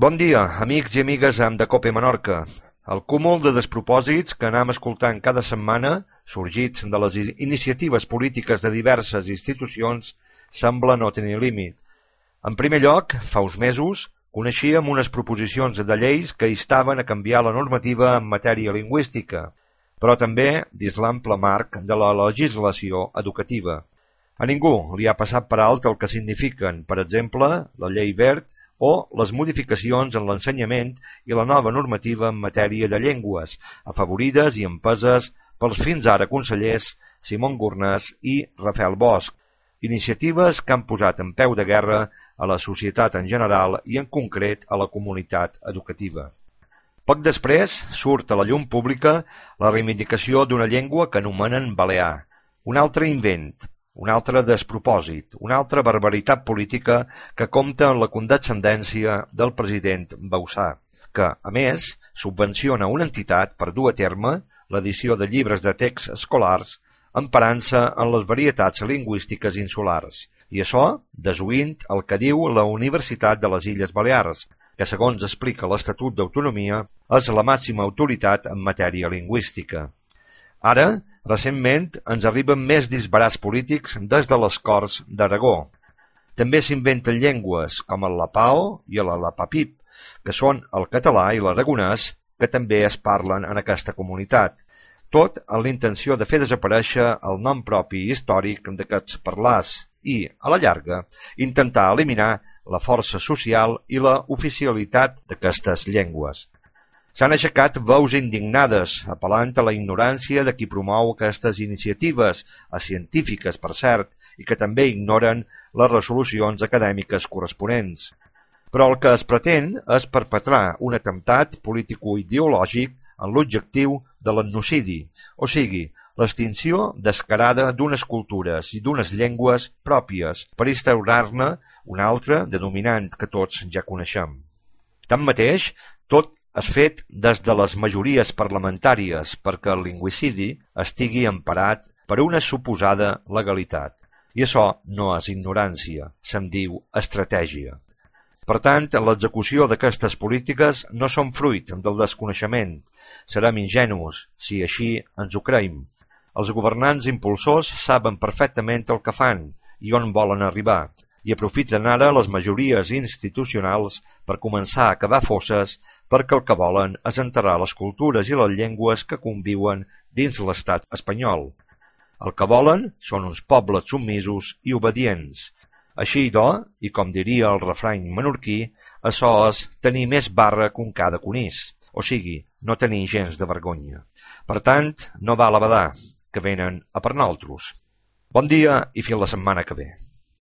Bon dia, amics i amigues de Cope Menorca. El cúmul de despropòsits que anem escoltant cada setmana, sorgits de les iniciatives polítiques de diverses institucions, sembla no tenir límit. En primer lloc, fa uns mesos, coneixíem unes proposicions de lleis que instaven a canviar la normativa en matèria lingüística, però també dins l'ample marc de la legislació educativa. A ningú li ha passat per alt el que signifiquen, per exemple, la llei Wert o les modificacions en l'ensenyament i la nova normativa en matèria de llengües, afavorides i empeses pels fins ara consellers Simón Gurnàs i Rafael Bosch, iniciatives que han posat en peu de guerra a la societat en general i en concret a la comunitat educativa. Poc després surt a la llum pública la reivindicació d'una llengua que anomenen balear, un altre invent, un altre despropòsit, una altra barbaritat política que compta amb la condescendència del president Bauzá, que, a més, subvenciona una entitat per dur a terme l'edició de llibres de text escolars emparant-se en les varietats lingüístiques insulars, i això desoint el que diu la Universitat de les Illes Balears, que, segons explica l'Estatut d'Autonomia, és la màxima autoritat en matèria lingüística. Ara, recentment, ens arriben més disbarats polítics des de les Corts d'Aragó. També s'inventen llengües com el lapao i el lapapip, que són el català i l'aragonès, que també es parlen en aquesta comunitat, tot amb la intenció de fer desaparèixer el nom propi històric d'aquests parlars i, a la llarga, intentar eliminar la força social i la oficialitat d'aquestes llengües. S'han aixecat veus indignades, apel·lant a la ignorància de qui promou aquestes iniciatives, científiques, per cert, i que també ignoren les resolucions acadèmiques corresponents. Però el que es pretén és perpetrar un atemptat político-ideològic en l'objectiu de l'etnocidi, o sigui, l'extinció descarada d'unes cultures i d'unes llengües pròpies per instaurar-ne una altra denominant que tots ja coneixem. Tanmateix, tot és fet des de les majories parlamentàries perquè el lingüicidi estigui emparat per una suposada legalitat. I això no és ignorància, se'n diu estratègia. Per tant, l'execució d'aquestes polítiques no són fruit del desconeixement. Serem ingenus, si així ens ho creiem. Els governants impulsors saben perfectament el que fan i on volen arribar, i aprofiten ara les majories institucionals per començar a cavar fosses perquè el que volen és enterrar les cultures i les llengües que conviuen dins l'estat espanyol. El que volen són uns pobles submisos i obedients. Així, i com diria el refrany menorquí, això és tenir més barra que un ca de conís, o sigui, no tenir gens de vergonya. Per tant, no val a badar, que venen a per nosaltres. Bon dia i fins la setmana que ve.